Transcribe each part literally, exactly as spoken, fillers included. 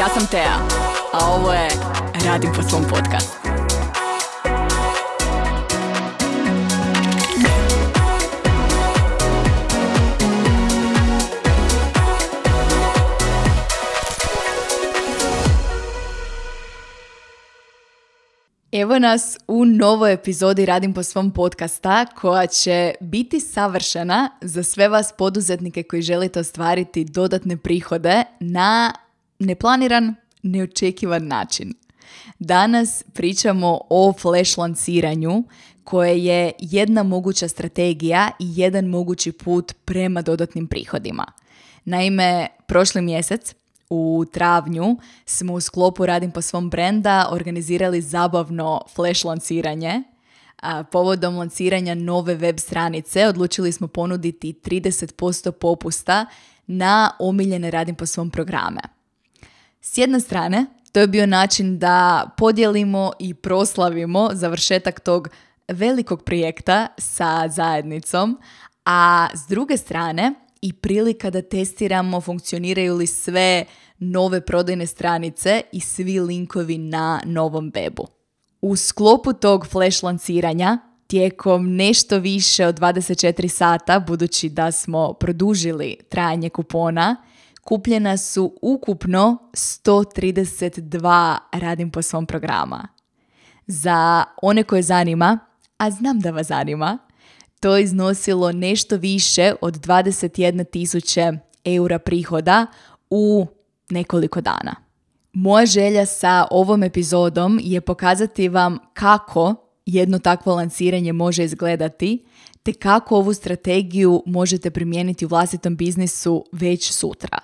Ja sam Tea, a ovo je Radim po svom podcastu. Evo nas u novoj epizodi Radim po svom podcasta koja će biti savršena za sve vas poduzetnike koji želite ostvariti dodatne prihode na neplaniran, neočekivan način. Danas pričamo o flash lanciranju koje je jedna moguća strategija i jedan mogući put prema dodatnim prihodima. Naime, prošli mjesec u travnju smo u sklopu Radim po svom brenda organizirali zabavno flash lanciranje. A povodom lanciranja nove web stranice odlučili smo ponuditi trideset posto popusta na omiljene Radim po svom programe. S jedne strane, to je bio način da podijelimo i proslavimo završetak tog velikog projekta sa zajednicom, a s druge strane i prilika da testiramo funkcioniraju li sve nove prodajne stranice i svi linkovi na novom webu. U sklopu tog flash lanciranja, tijekom nešto više od dvadeset četiri sata, budući da smo produžili trajanje kupona, kupljena su ukupno sto trideset dva Radim po svom programa. Za one koje zanima, a znam da vas zanima, to je iznosilo nešto više od dvadeset jedna tisuća eura prihoda u nekoliko dana. Moja želja sa ovom epizodom je pokazati vam kako jedno takvo lanciranje može izgledati, te kako ovu strategiju možete primijeniti u vlastitom biznisu već sutra.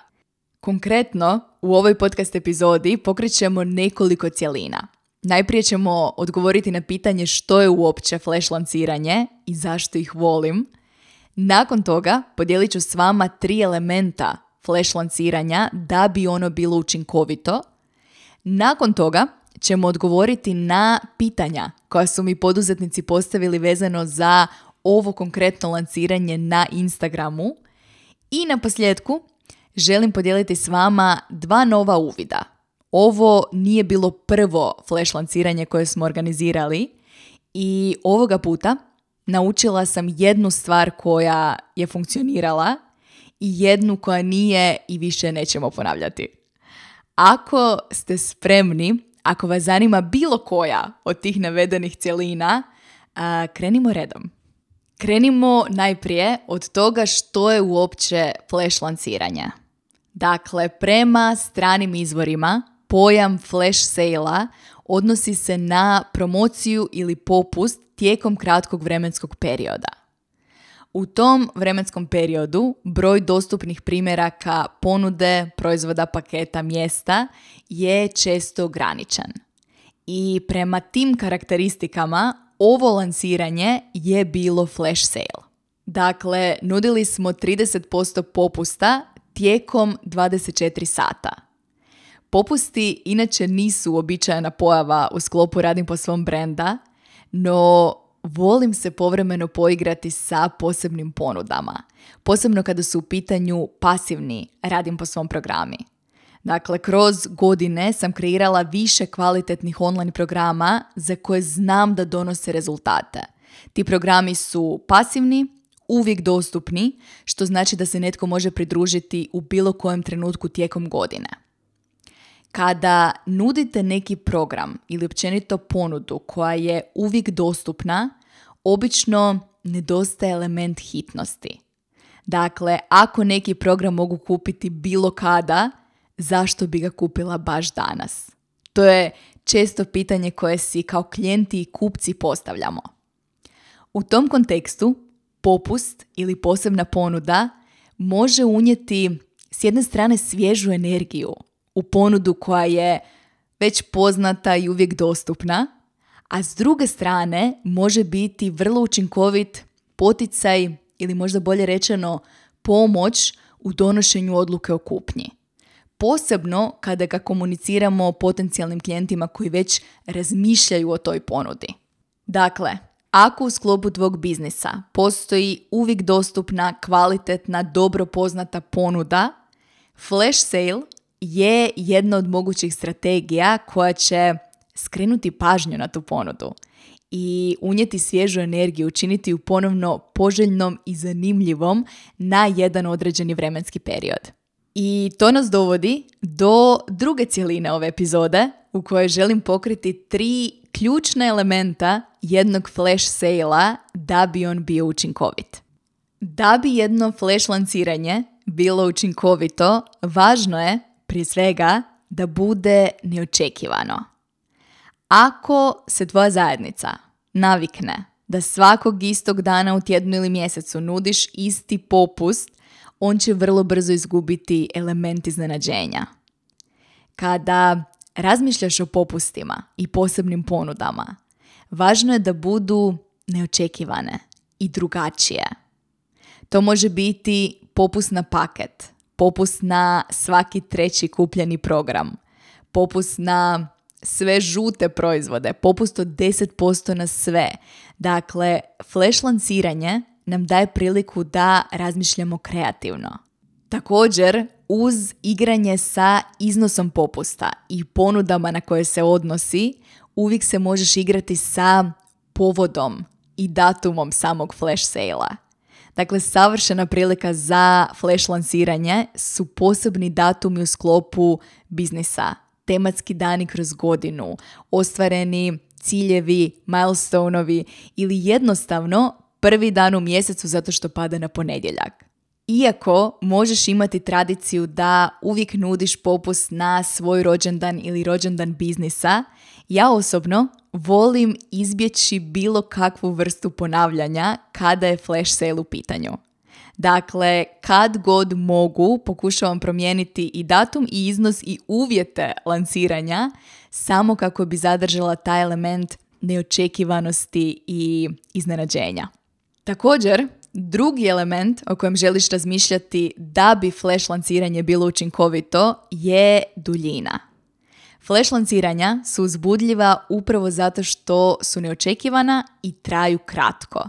Konkretno, u ovoj podcast epizodi pokrećemo nekoliko cjelina. Najprije ćemo odgovoriti na pitanje što je uopće flash lanciranje i zašto ih volim. Nakon toga podijelit ću s vama tri elementa flash lanciranja da bi ono bilo učinkovito. Nakon toga ćemo odgovoriti na pitanja koja su mi poduzetnici postavili vezano za ovo konkretno lanciranje na Instagramu. I na posljedku želim podijeliti s vama dva nova uvida. Ovo nije bilo prvo flash lanciranje koje smo organizirali i ovoga puta naučila sam jednu stvar koja je funkcionirala i jednu koja nije i više nećemo ponavljati. Ako ste spremni, ako vas zanima bilo koja od tih navedenih cjelina, a, krenimo redom. Krenimo najprije od toga što je uopće flash lanciranje. Dakle, prema stranim izvorima, pojam flash sale-a odnosi se na promociju ili popust tijekom kratkog vremenskog perioda. U tom vremenskom periodu broj dostupnih primjeraka ponude, proizvoda, paketa, mjesta je često ograničen. I prema tim karakteristikama ovo lanciranje je bilo flash sale. Dakle, nudili smo trideset posto popusta tijekom dvadeset četiri sata. Popusti inače nisu uobičajena pojava u sklopu Radim po svom brenda, no volim se povremeno poigrati sa posebnim ponudama, posebno kada su u pitanju pasivni Radim po svom programi. Dakle, kroz godine sam kreirala više kvalitetnih online programa za koje znam da donose rezultate. Ti programi su pasivni, uvijek dostupni, što znači da se netko može pridružiti u bilo kojem trenutku tijekom godine. Kada nudite neki program ili općenito ponudu koja je uvijek dostupna, obično nedostaje element hitnosti. Dakle, ako neki program mogu kupiti bilo kada, zašto bi ga kupila baš danas? To je često pitanje koje si kao klijenti i kupci postavljamo. U tom kontekstu, popust ili posebna ponuda može unijeti s jedne strane svježu energiju u ponudu koja je već poznata i uvijek dostupna, a s druge strane može biti vrlo učinkovit poticaj ili možda bolje rečeno pomoć u donošenju odluke o kupnji. Posebno kada ga komuniciramo potencijalnim klijentima koji već razmišljaju o toj ponudi. Dakle, ako u sklopu tvog biznisa postoji uvijek dostupna, kvalitetna, dobro poznata ponuda, flash sale je jedna od mogućih strategija koja će skrenuti pažnju na tu ponudu i unijeti svježu energiju, učiniti ju ponovno poželjnom i zanimljivom na jedan određeni vremenski period. I to nas dovodi do druge cjeline ove epizode u kojoj želim pokriti tri ključna elementa jednog flash sale-a da bi on bio učinkovit. Da bi jedno flash lanciranje bilo učinkovito, važno je prije svega da bude neočekivano. Ako se tvoja zajednica navikne da svakog istog dana u tjednu ili mjesecu nudiš isti popust, on će vrlo brzo izgubiti element iznenađenja. Kada razmišljaš o popustima i posebnim ponudama, važno je da budu neočekivane i drugačije. To može biti popust na paket, popust na svaki treći kupljeni program, popust na sve žute proizvode, popust od deset posto na sve. Dakle, flash lanciranje nam daje priliku da razmišljamo kreativno. Također, uz igranje sa iznosom popusta i ponudama na koje se odnosi, uvijek se možeš igrati sa povodom i datumom samog flash sale-a. Dakle, savršena prilika za flash lanciranje su posebni datumi u sklopu biznisa, tematski dani kroz godinu, ostvareni ciljevi, milestoneovi ili jednostavno prvi dan u mjesecu zato što pada na ponedjeljak. Iako možeš imati tradiciju da uvijek nudiš popust na svoj rođendan ili rođendan biznisa, ja osobno volim izbjeći bilo kakvu vrstu ponavljanja kada je flash sale u pitanju. Dakle, kad god mogu, pokušavam promijeniti i datum i iznos i uvjete lanciranja samo kako bi zadržala taj element neočekivanosti i iznenađenja. Također, drugi element o kojem želiš razmišljati da bi flash lanciranje bilo učinkovito je duljina. Flash lanciranja su uzbudljiva upravo zato što su neočekivana i traju kratko.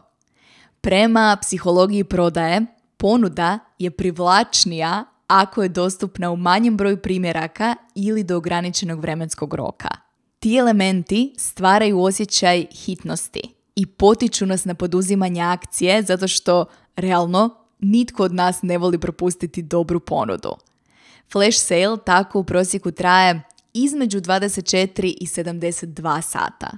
Prema psihologiji prodaje, ponuda je privlačnija ako je dostupna u manjem broju primjeraka ili do ograničenog vremenskog roka. Ti elementi stvaraju osjećaj hitnosti i potiču nas na poduzimanje akcije zato što, realno, nitko od nas ne voli propustiti dobru ponudu. Flash sale tako u prosjeku traje između dvadeset četiri i sedamdeset dva sata.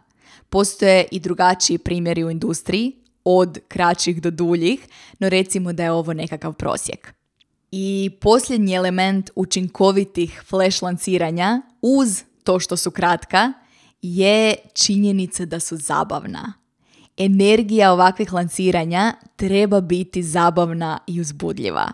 Postoje i drugačiji primjeri u industriji, od kraćih do duljih, no recimo da je ovo nekakav prosjek. I posljednji element učinkovitih flash lanciranja, uz to što su kratka, je činjenica da su zabavna. Energija ovakvih lanciranja treba biti zabavna i uzbudljiva.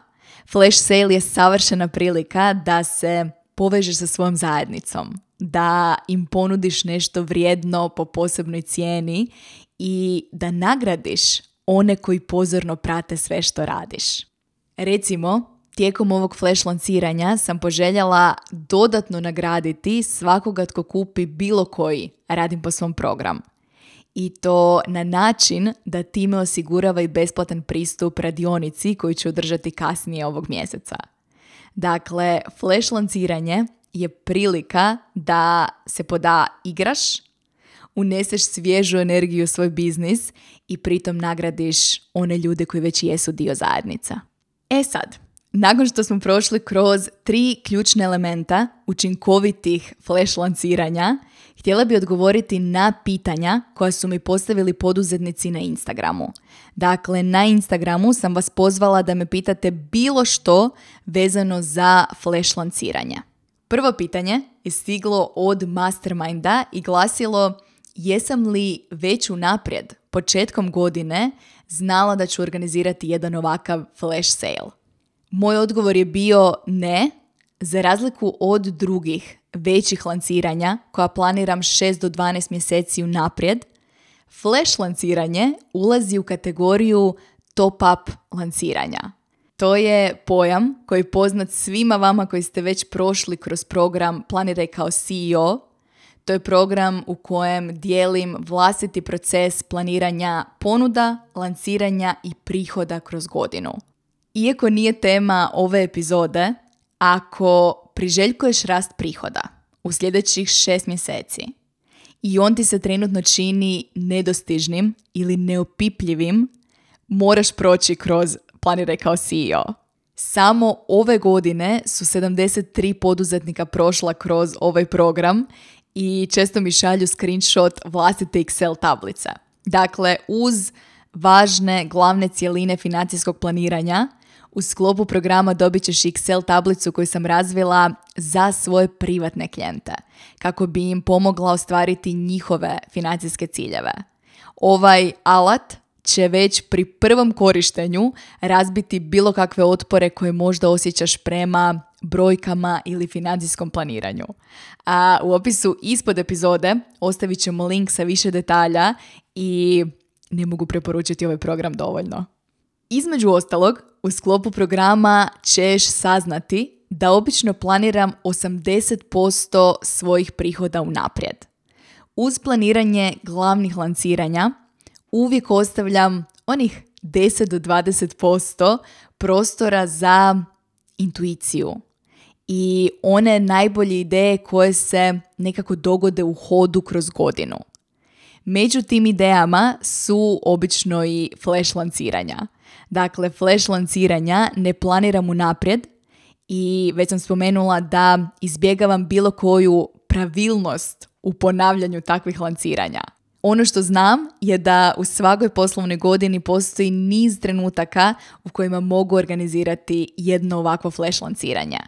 Flash sale je savršena prilika da se povežeš sa svojom zajednicom, da im ponudiš nešto vrijedno po posebnoj cijeni i da nagradiš one koji pozorno prate sve što radiš. Recimo, tijekom ovog flash lanciranja sam poželjela dodatno nagraditi svakoga tko kupi bilo koji Radim po svom program. I to na način da time osigurava i besplatan pristup radionici koju ću održati kasnije ovog mjeseca. Dakle, flash lanciranje je prilika da se poda igraš, uneseš svježu energiju u svoj biznis i pritom nagradiš one ljude koji već jesu dio zajednica. E sad, nakon što smo prošli kroz tri ključne elementa učinkovitih flash lanciranja, htjela bi odgovoriti na pitanja koja su mi postavili poduzetnici na Instagramu. Dakle, na Instagramu sam vas pozvala da me pitate bilo što vezano za flash lanciranje. Prvo pitanje je stiglo od Masterminda i glasilo: jesam li već unaprijed, početkom godine, znala da ću organizirati jedan ovakav flash sale? Moj odgovor je bio ne, za razliku od drugih većih lanciranja koja planiram šest do dvanaest mjeseci unaprijed. Flash lanciranje ulazi u kategoriju top-up lanciranja. To je pojam koji je poznat svima vama koji ste već prošli kroz program Planiraj kao C E O. To je program u kojem dijelim vlastiti proces planiranja ponuda, lanciranja i prihoda kroz godinu. Iako nije tema ove epizode, ako priželjkuješ rast prihoda u sljedećih šest mjeseci i on ti se trenutno čini nedostižnim ili neopipljivim, moraš proći kroz Planiraj kao C E O. Samo ove godine su sedamdeset tri poduzetnika prošla kroz ovaj program i često mi šalju screenshot vlastite Excel tablice. Dakle, uz važne glavne cjeline financijskog planiranja, u sklopu programa dobit ćeš Excel tablicu koju sam razvila za svoje privatne klijente, kako bi im pomogla ostvariti njihove financijske ciljeve. Ovaj alat će već pri prvom korištenju razbiti bilo kakve otpore koje možda osjećaš prema brojkama ili financijskom planiranju. A u opisu ispod epizode ostavit ćemo link sa više detalja i ne mogu preporučiti ovaj program dovoljno. Između ostalog, u sklopu programa ćeš saznati da obično planiram osamdeset posto svojih prihoda unaprijed. Uz planiranje glavnih lanciranja uvijek ostavljam onih deset do dvadeset posto prostora za intuiciju i one najbolje ideje koje se nekako dogode u hodu kroz godinu. Među tim idejama su obično i flash lanciranja. Dakle, flash lanciranja ne planiram unaprijed i već sam spomenula da izbjegavam bilo koju pravilnost u ponavljanju takvih lanciranja. Ono što znam je da u svakoj poslovnoj godini postoji niz trenutaka u kojima mogu organizirati jedno ovakvo flash lanciranje.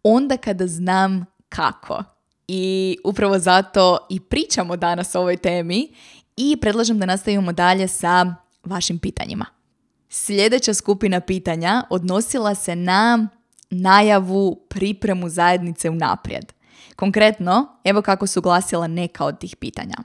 Onda kada znam kako. I upravo zato i pričamo danas o ovoj temi i predlažem da nastavimo dalje sa vašim pitanjima. Sljedeća skupina pitanja odnosila se na najavu, pripremu zajednice unaprijed. Konkretno, evo kako su glasila neka od tih pitanja.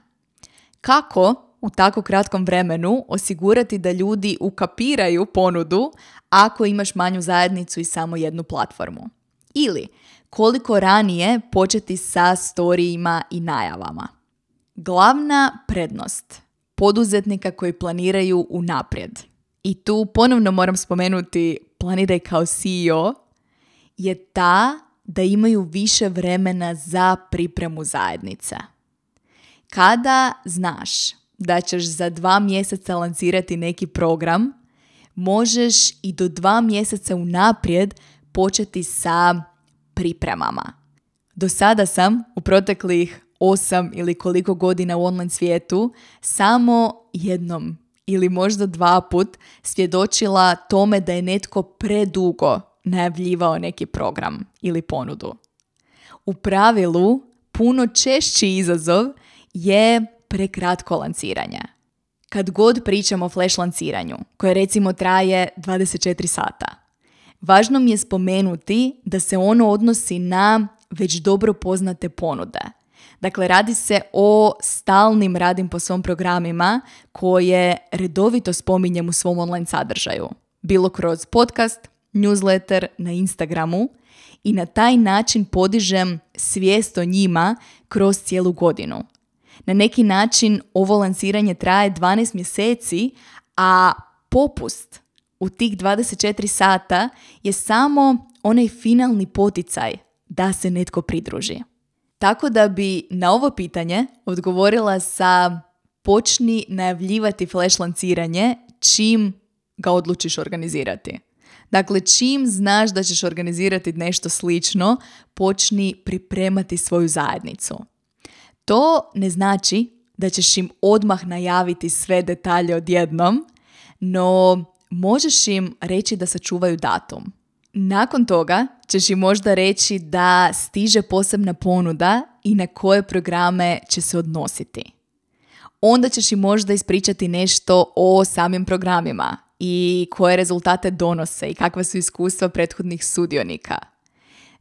Kako u tako kratkom vremenu osigurati da ljudi ukapiraju ponudu ako imaš manju zajednicu i samo jednu platformu? Ili koliko ranije početi sa storijima i najavama? Glavna prednost poduzetnika koji planiraju unaprijed, i tu ponovno moram spomenuti Planiraj kao C E O, je ta da imaju više vremena za pripremu zajednice. Kada znaš da ćeš za dva mjeseca lancirati neki program, možeš i do dva mjeseca unaprijed početi sa pripremama. Do sada sam u proteklih osam ili koliko godina u online svijetu samo jednom ili možda dva put svjedočila tome da je netko predugo najavljivao neki program ili ponudu. U pravilu, puno češći izazov je prekratko lanciranje. Kad god pričamo o flash lanciranju, koje recimo traje dvadeset četiri sata, važno mi je spomenuti da se ono odnosi na već dobro poznate ponude. Dakle, radi se o stalnim radim po svom programima koje redovito spominjem u svom online sadržaju. Bilo kroz podcast, newsletter, na Instagramu i na taj način podižem svijest o njima kroz cijelu godinu. Na neki način ovo lanciranje traje dvanaest mjeseci, a popust u tih dvadeset četiri sata je samo onaj finalni poticaj da se netko pridruži. Tako da bi na ovo pitanje odgovorila sa počni najavljivati flash lanciranje čim ga odlučiš organizirati. Dakle, čim znaš da ćeš organizirati nešto slično, počni pripremati svoju zajednicu. To ne znači da ćeš im odmah najaviti sve detalje odjednom, no možeš im reći da sačuvaju datum. Nakon toga ćeš im možda reći da stiže posebna ponuda i na koje programe će se odnositi. Onda ćeš im možda ispričati nešto o samim programima i koje rezultate donose i kakva su iskustva prethodnih sudionika.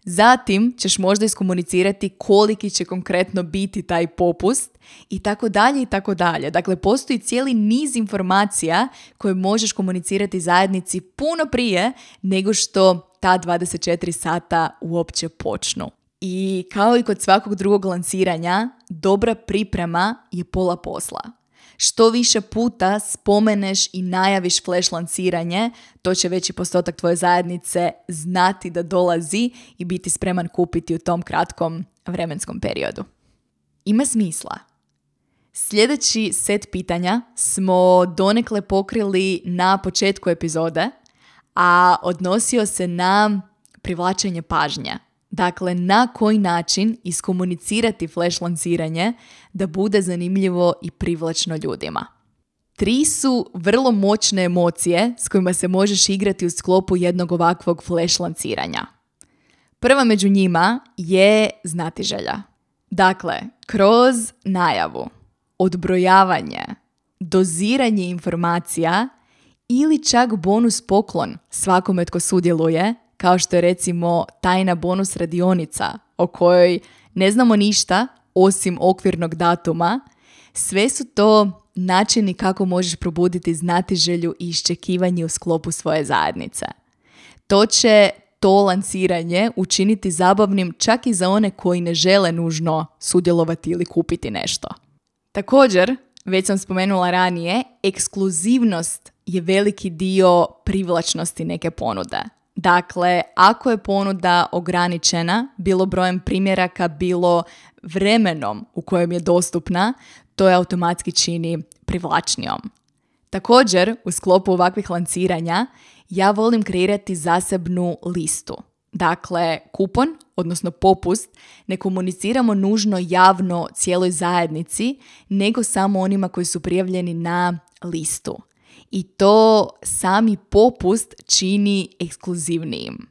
Zatim ćeš možda iskomunicirati koliki će konkretno biti taj popust i tako dalje i tako dalje. Dakle, postoji cijeli niz informacija koje možeš komunicirati zajednici puno prije nego što ta dvadeset četiri sata uopće počnu. I kao i kod svakog drugog lanciranja, dobra priprema je pola posla. Što više puta spomeneš i najaviš flash lanciranje, to će veći postotak tvoje zajednice znati da dolazi i biti spreman kupiti u tom kratkom vremenskom periodu. Ima smisla. Sljedeći set pitanja smo donekle pokrili na početku epizode, a odnosio se na privlačenje pažnje. Dakle, na koji način iskomunicirati flash lanciranje da bude zanimljivo i privlačno ljudima. Tri su vrlo moćne emocije s kojima se možeš igrati u sklopu jednog ovakvog flash lanciranja. Prva među njima je znatiželja. Dakle, kroz najavu, odbrojavanje, doziranje informacija ili čak bonus poklon svakome tko sudjeluje, kao što je recimo tajna bonus radionica o kojoj ne znamo ništa osim okvirnog datuma, sve su to načini kako možeš probuditi znatiželju i iščekivanje u sklopu svoje zajednice. To će to lanciranje učiniti zabavnim čak i za one koji ne žele nužno sudjelovati ili kupiti nešto. Također, već sam spomenula ranije, ekskluzivnost je veliki dio privlačnosti neke ponude. Dakle, ako je ponuda ograničena, bilo brojem primjeraka, bilo vremenom u kojem je dostupna, to je automatski čini privlačnijom. Također, u sklopu ovakvih lanciranja, ja volim kreirati zasebnu listu. Dakle, kupon, odnosno popust, ne komuniciramo nužno javno cijeloj zajednici, nego samo onima koji su prijavljeni na listu. I to sami popust čini ekskluzivnijim.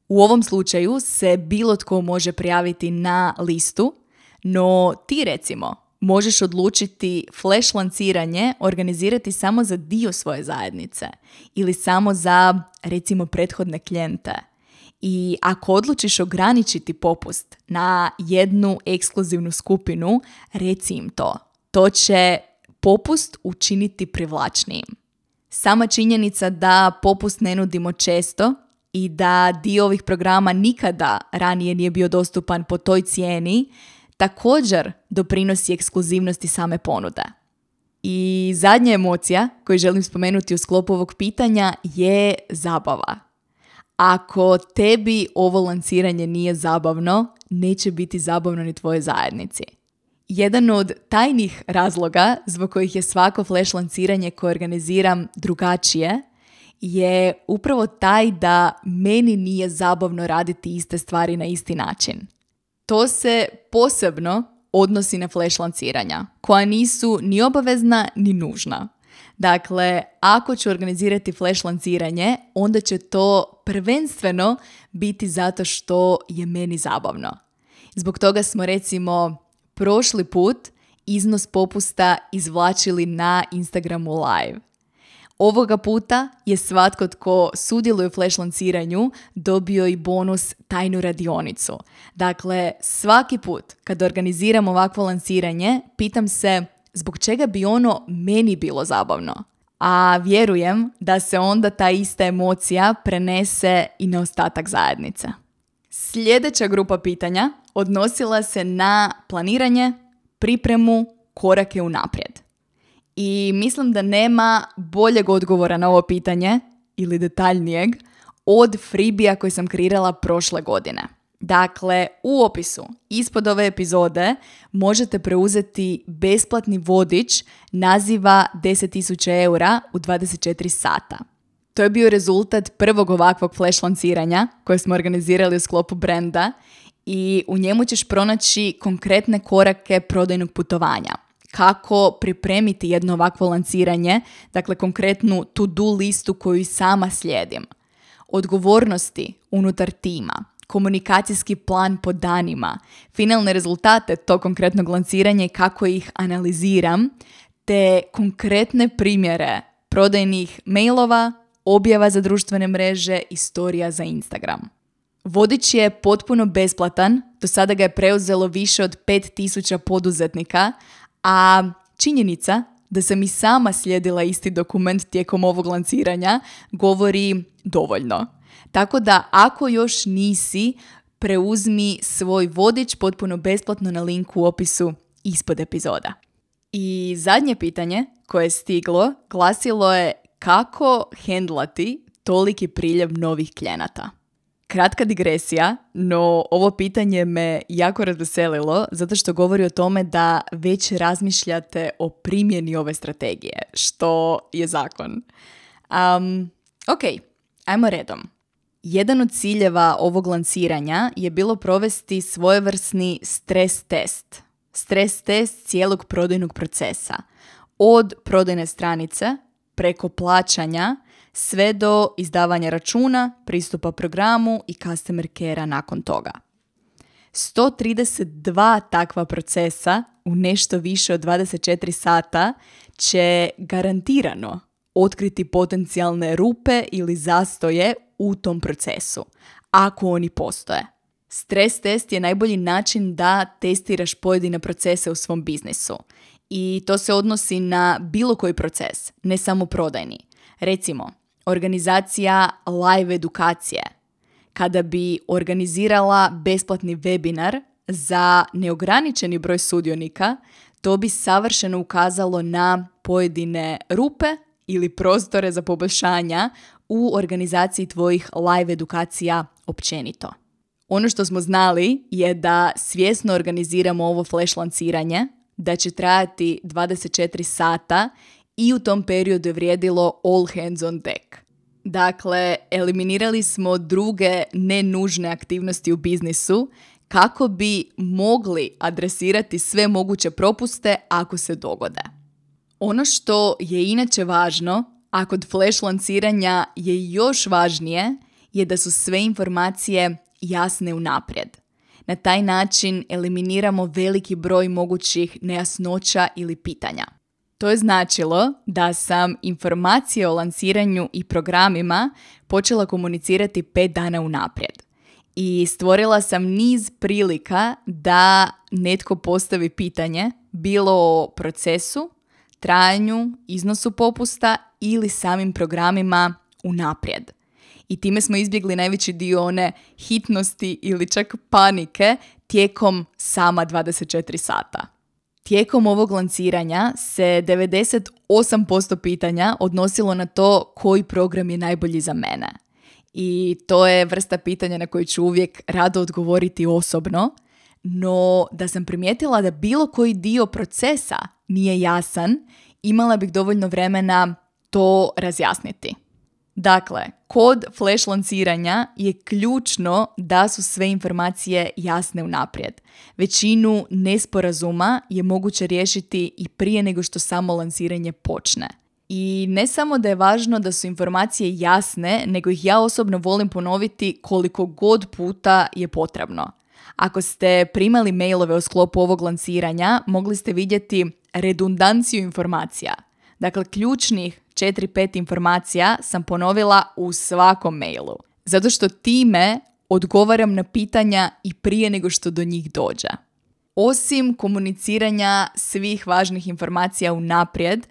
U ovom slučaju se bilo tko može prijaviti na listu, no ti recimo možeš odlučiti flash lanciranje organizirati samo za dio svoje zajednice ili samo za recimo prethodne klijente. I ako odlučiš ograničiti popust na jednu ekskluzivnu skupinu, reci im to. To će popust učiniti privlačnijim. Sama činjenica da popust ne nudimo često i da dio ovih programa nikada ranije nije bio dostupan po toj cijeni, također doprinosi ekskluzivnosti same ponude. I zadnja emocija koju želim spomenuti u sklopu ovog pitanja je zabava. Ako tebi ovo lanciranje nije zabavno, neće biti zabavno ni tvojoj zajednici. Jedan od tajnih razloga zbog kojih je svako flash lanciranje koje organiziram drugačije je upravo taj da meni nije zabavno raditi iste stvari na isti način. To se posebno odnosi na flash lanciranja, koja nisu ni obavezna ni nužna. Dakle, ako ću organizirati flash lanciranje, onda će to prvenstveno biti zato što je meni zabavno. Zbog toga smo recimo prošli put iznos popusta izvlačili na Instagramu live. Ovoga puta je svatko tko sudjeluje u flash lanciranju dobio i bonus tajnu radionicu. Dakle, svaki put kad organiziram ovakvo lanciranje, pitam se zbog čega bi ono meni bilo zabavno. A vjerujem da se onda ta ista emocija prenese i na ostatak zajednice. Sljedeća grupa pitanja odnosila se na planiranje, pripremu, korake unaprijed. I mislim da nema boljeg odgovora na ovo pitanje, ili detaljnijeg, od freebija koji sam kreirala prošle godine. Dakle, u opisu ispod ove epizode možete preuzeti besplatni vodič naziva deset tisuća eura u dvadeset četiri sata. To je bio rezultat prvog ovakvog flash lanciranja koje smo organizirali u sklopu brenda i u njemu ćeš pronaći konkretne korake prodajnog putovanja. Kako pripremiti jedno ovakvo lanciranje, dakle konkretnu to-do listu koju sama slijedim. Odgovornosti unutar tima, komunikacijski plan po danima, finalne rezultate tog konkretnog lanciranja i kako ih analiziram, te konkretne primjere prodajnih mailova, objava za društvene mreže i storija za Instagram. Vodič je potpuno besplatan, do sada ga je preuzelo više od pet tisuća poduzetnika, a činjenica da sam i sama slijedila isti dokument tijekom ovog lanciranja govori dovoljno. Tako da ako još nisi, preuzmi svoj vodič potpuno besplatno na linku u opisu ispod epizoda. I zadnje pitanje koje je stiglo glasilo je kako hendlati toliki priljev novih klijenata. Kratka digresija, no ovo pitanje me jako razveselilo zato što govori o tome da već razmišljate o primjeni ove strategije, što je zakon. Um, ok, ajmo redom. Jedan od ciljeva ovog lanciranja je bilo provesti svojevrsni stres test. Stres test cijelog prodajnog procesa. Od prodajne stranice, preko plaćanja, sve do izdavanja računa, pristupa programu i customer care-a nakon toga. sto trideset dva takva procesa u nešto više od dvadeset četiri sata će garantirano otkriti potencijalne rupe ili zastoje u tom procesu, ako oni postoje. Stres test je najbolji način da testiraš pojedine procese u svom biznisu. I to se odnosi na bilo koji proces, ne samo prodajni. Recimo, organizacija live edukacije. Kada bi organizirala besplatni webinar za neograničeni broj sudionika, to bi savršeno ukazalo na pojedine rupe ili prostore za poboljšanja u organizaciji tvojih live edukacija općenito. Ono što smo znali je da svjesno organiziramo ovo flash lanciranje, da će trajati dvadeset četiri sata i u tom periodu je vrijedilo all hands on deck. Dakle, eliminirali smo druge nenužne aktivnosti u biznisu kako bi mogli adresirati sve moguće propuste ako se dogode. Ono što je inače važno, a kod flash lanciranja je još važnije, je da su sve informacije jasne unaprijed. Na taj način eliminiramo veliki broj mogućih nejasnoća ili pitanja. To je značilo da sam informacije o lanciranju i programima počela komunicirati pet dana unaprijed. I stvorila sam niz prilika da netko postavi pitanje, bilo o procesu, trajanju, iznosu popusta ili samim programima unaprijed. I time smo izbjegli najveći dio one hitnosti ili čak panike tijekom sama dvadeset četiri sata. Tijekom ovog lanciranja se devedeset osam posto pitanja odnosilo na to koji program je najbolji za mene. I to je vrsta pitanja na koju ću uvijek rado odgovoriti osobno, no da sam primijetila da bilo koji dio procesa nije jasan, imala bih dovoljno vremena to razjasniti. Dakle, kod flash lanciranja je ključno da su sve informacije jasne unaprijed. Većinu nesporazuma je moguće riješiti i prije nego što samo lanciranje počne. I ne samo da je važno da su informacije jasne, nego ih ja osobno volim ponoviti koliko god puta je potrebno. Ako ste primali mailove u sklopu ovog lanciranja, mogli ste vidjeti redundanciju informacija. Dakle, ključnih četiri pet informacija sam ponovila u svakom mailu. Zato što time odgovaram na pitanja i prije nego što do njih dođe. Osim komuniciranja svih važnih informacija unaprijed,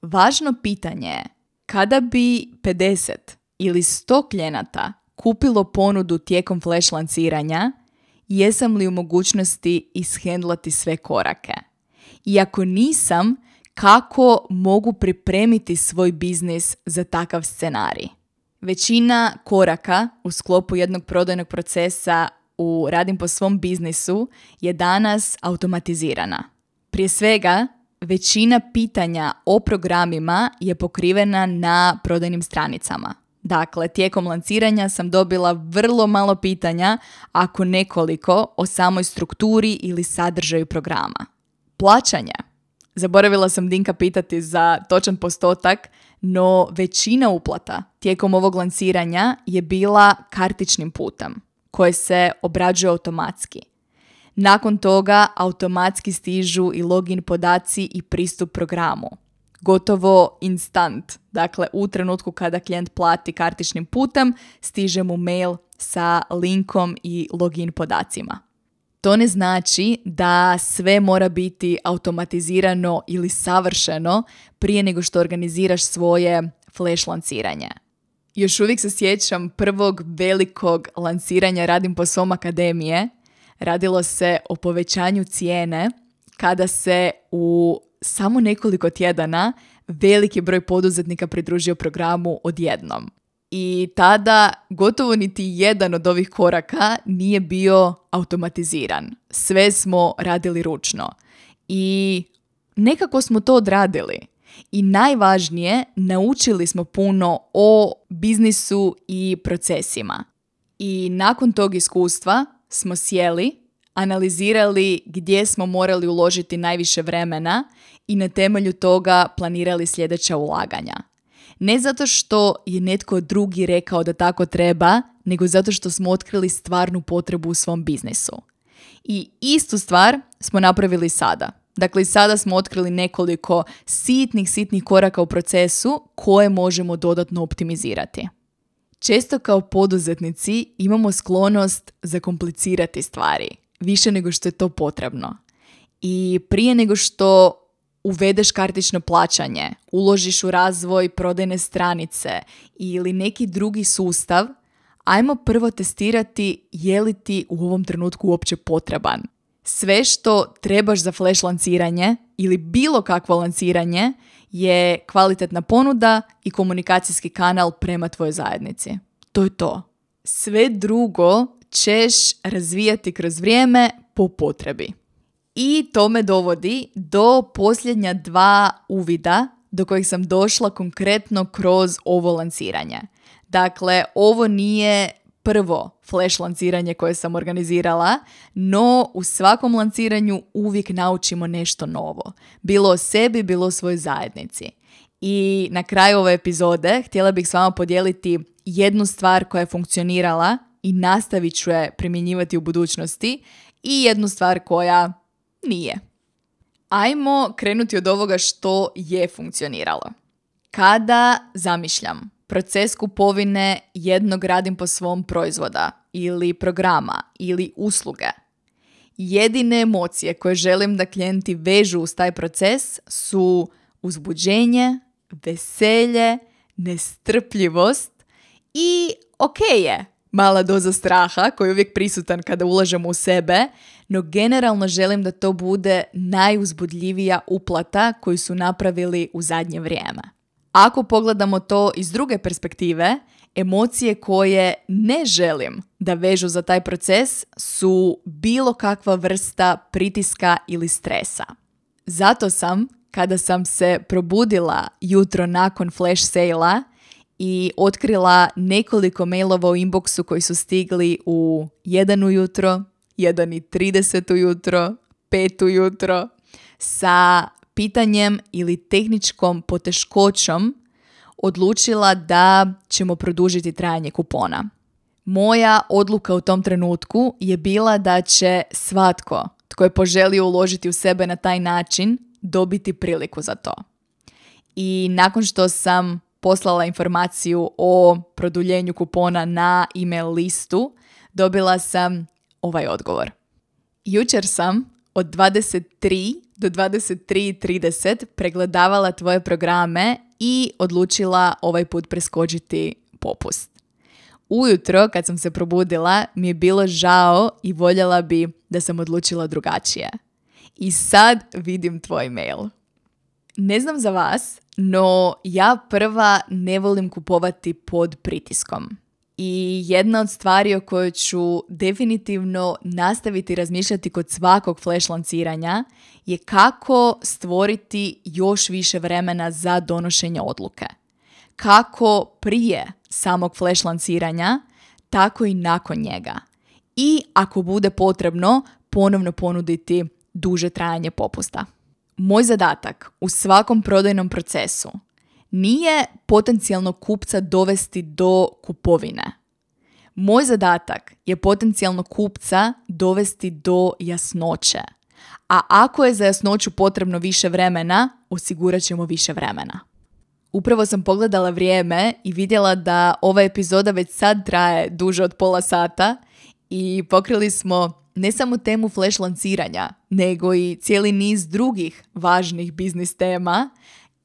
važno pitanje je kada bi pedeset ili sto klijenata kupilo ponudu tijekom flash lanciranja, jesam li u mogućnosti ishendlati sve korake? I ako nisam, kako mogu pripremiti svoj biznis za takav scenarij? Većina koraka u sklopu jednog prodajnog procesa u Radim po svom biznisu je danas automatizirana. Prije svega, većina pitanja o programima je pokrivena na prodajnim stranicama. Dakle, tijekom lanciranja sam dobila vrlo malo pitanja, ako nekoliko, o samoj strukturi ili sadržaju programa. Plaćanje. Zaboravila sam Dinka pitati za točan postotak, no većina uplata tijekom ovog lanciranja je bila kartičnim putem, koje se obrađuje automatski. Nakon toga automatski stižu i login podaci i pristup programu. Gotovo instant. Dakle, u trenutku kada klijent plati kartičnim putem, stiže mu mail sa linkom i login podacima. To ne znači da sve mora biti automatizirano ili savršeno prije nego što organiziraš svoje flash lanciranje. Još uvijek se sjećam prvog velikog lanciranja Radim po svom akademije. Radilo se o povećanju cijene kada se u samo nekoliko tjedana veliki broj poduzetnika pridružio programu odjednom. I tada gotovo niti jedan od ovih koraka nije bio automatiziran. Sve smo radili ručno. I nekako smo to odradili. I najvažnije, naučili smo puno o biznisu i procesima. I nakon tog iskustva smo sjeli, analizirali gdje smo morali uložiti najviše vremena i na temelju toga planirali sljedeća ulaganja. Ne zato što je netko drugi rekao da tako treba, nego zato što smo otkrili stvarnu potrebu u svom biznisu. I istu stvar smo napravili sada. Dakle, sada smo otkrili nekoliko sitnih, sitnih koraka u procesu koje možemo dodatno optimizirati. Često kao poduzetnici imamo sklonost zakomplicirati stvari, više nego što je to potrebno. I prije nego što uvedeš kartično plaćanje, uložiš u razvoj prodajne stranice ili neki drugi sustav, ajmo prvo testirati je li ti u ovom trenutku uopće potreban. Sve što trebaš za flash lanciranje ili bilo kakvo lanciranje je kvalitetna ponuda i komunikacijski kanal prema tvojoj zajednici. To je to. Sve drugo ćeš razvijati kroz vrijeme po potrebi. I to me dovodi do posljednja dva uvida do kojih sam došla konkretno kroz ovo lanciranje. Dakle, ovo nije prvo flash lanciranje koje sam organizirala, no u svakom lanciranju uvijek naučimo nešto novo. Bilo o sebi, bilo o svojoj zajednici. I na kraju ove epizode htjela bih s vama podijeliti jednu stvar koja je funkcionirala i nastavit ću je primjenjivati u budućnosti i jednu stvar koja nije. Ajmo krenuti od ovoga što je funkcioniralo. Kada zamišljam proces kupovine jednog radim po svom proizvoda ili programa ili usluge, jedine emocije koje želim da klijenti vežu uz taj proces su uzbuđenje, veselje, nestrpljivost i ok je mala doza straha koji je uvijek prisutan kada ulažemo u sebe, no generalno želim da to bude najuzbudljivija uplata koju su napravili u zadnje vrijeme. Ako pogledamo to iz druge perspektive, emocije koje ne želim da vežu za taj proces su bilo kakva vrsta pritiska ili stresa. Zato sam, kada sam se probudila jutro nakon flash sale-a i otkrila nekoliko mailova u inboxu koji su stigli u jedan ujutro, jedan i trideset ujutro, pet ujutro, sa pitanjem ili tehničkom poteškoćom odlučila da ćemo produžiti trajanje kupona. Moja odluka u tom trenutku je bila da će svatko tko je poželio uložiti u sebe na taj način dobiti priliku za to. I nakon što sam poslala informaciju o produljenju kupona na email listu, dobila sam ovaj odgovor. Jučer sam od dvadeset tri do dvadeset tri i trideset pregledavala tvoje programe i odlučila ovaj put preskočiti popust. Ujutro kad sam se probudila mi je bilo žao i voljela bi da sam odlučila drugačije. I sad vidim tvoj mail. Ne znam za vas, no ja prva ne volim kupovati pod pritiskom. I jedna od stvari o kojoj ću definitivno nastaviti razmišljati kod svakog flash lanciranja je kako stvoriti još više vremena za donošenje odluke. Kako prije samog flash lanciranja, tako i nakon njega. I ako bude potrebno, ponovno ponuditi duže trajanje popusta. Moj zadatak u svakom prodajnom procesu nije potencijalnog kupca dovesti do kupovine. Moj zadatak je potencijalnog kupca dovesti do jasnoće. A ako je za jasnoću potrebno više vremena, osigurat ćemo više vremena. Upravo sam pogledala vrijeme i vidjela da ova epizoda već sad traje duže od pola sata i pokrili smo ne samo temu flash lanciranja, nego i cijeli niz drugih važnih biznis tema.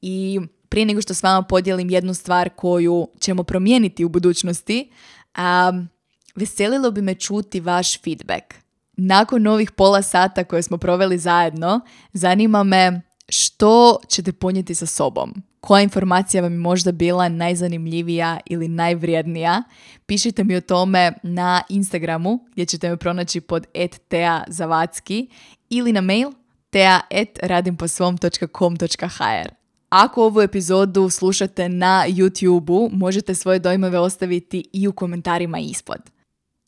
I prije nego što s vama podijelim jednu stvar koju ćemo promijeniti u budućnosti, um, veselilo bi me čuti vaš feedback. Nakon ovih pola sata koje smo proveli zajedno, zanima me što ćete ponijeti sa sobom. Koja informacija vam je možda bila najzanimljivija ili najvrijednija? Pišite mi o tome na Instagramu gdje ćete me pronaći pod et tea zavadski ili na mail tea et radimposvom točka com točka hr. Ako ovu epizodu slušate na YouTubeu, možete svoje dojmove ostaviti i u komentarima ispod.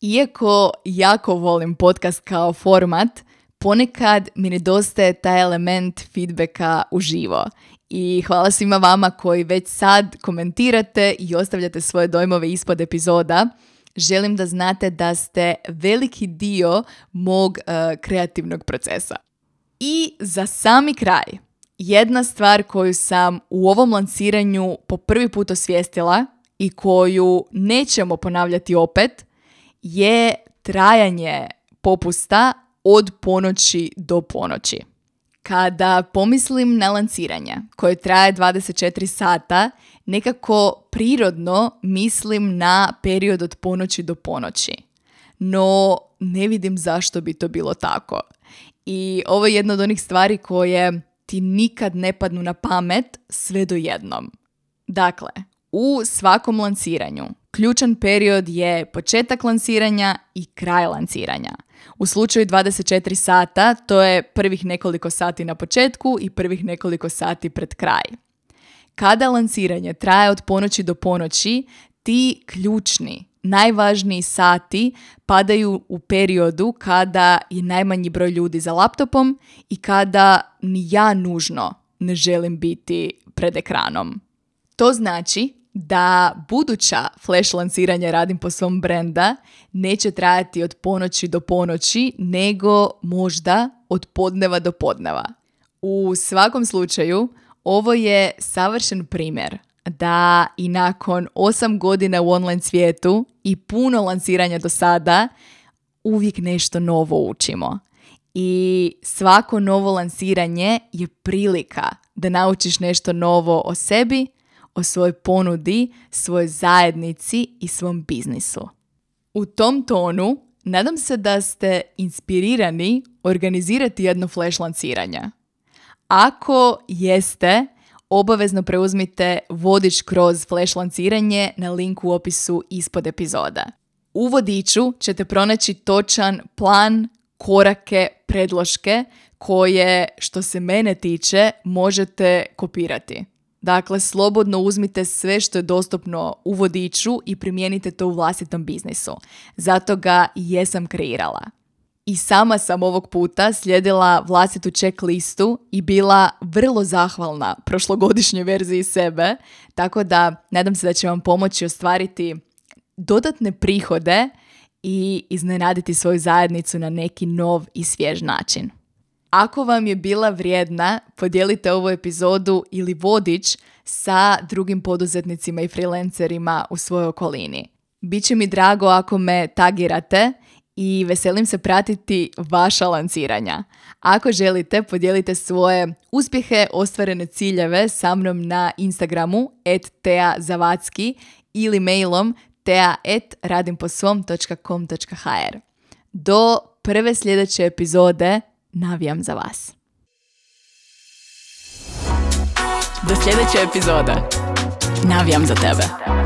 Iako jako volim podcast kao format, ponekad mi nedostaje taj element feedbacka uživo. I hvala svima vama koji već sad komentirate i ostavljate svoje dojmove ispod epizoda. Želim da znate da ste veliki dio mog uh, kreativnog procesa. I za sami kraj, jedna stvar koju sam u ovom lanciranju po prvi put osvijestila i koju nećemo ponavljati opet je trajanje popusta od ponoći do ponoći. Kada pomislim na lanciranje koje traje dvadeset četiri sata, nekako prirodno mislim na period od ponoći do ponoći. No, ne vidim zašto bi to bilo tako. I ovo je jedna od onih stvari koje ti nikad ne padnu na pamet sve do jednom. Dakle, u svakom lanciranju ključan period je početak lanciranja i kraj lanciranja. U slučaju dvadeset četiri sata to je prvih nekoliko sati na početku i prvih nekoliko sati pred kraj. Kada lanciranje traje od ponoći do ponoći, ti ključni, najvažniji sati padaju u periodu kada je najmanji broj ljudi za laptopom i kada ni ja nužno ne želim biti pred ekranom. To znači da buduća flash lanciranja Radim po svom brenda neće trajati od ponoći do ponoći, nego možda od podneva do podneva. U svakom slučaju, ovo je savršen primjer da i nakon osam godina u online svijetu i puno lanciranja do sada, uvijek nešto novo učimo. I svako novo lanciranje je prilika da naučiš nešto novo o sebi, o svojoj ponudi, svojoj zajednici i svom biznisu. U tom tonu, nadam se da ste inspirirani organizirati jedno flash lanciranje. Ako jeste, obavezno preuzmite vodič kroz flash lanciranje na linku u opisu ispod epizoda. U vodiču ćete pronaći točan plan, korake, predloške koje, što se mene tiče, možete kopirati. Dakle, slobodno uzmite sve što je dostupno u vodiču i primijenite to u vlastitom biznisu. Zato ga i jesam kreirala. I sama sam ovog puta slijedila vlastitu checklistu i bila vrlo zahvalna prošlogodišnjoj verziji sebe, tako da nadam se da će vam pomoći ostvariti dodatne prihode i iznenaditi svoju zajednicu na neki nov i svjež način. Ako vam je bila vrijedna, podijelite ovu epizodu ili vodič sa drugim poduzetnicima i freelancerima u svojoj okolini. Biće mi drago ako me tagirate i veselim se pratiti vaša lanciranja. Ako želite, podijelite svoje uspjehe, ostvarene ciljeve sa mnom na Instagramu et tea zavadski ili mailom tea et radimposvom točka com točka hr. Do prve sljedeće epizode navijam za vas. Do sljedeće epizode. Navijam za tebe.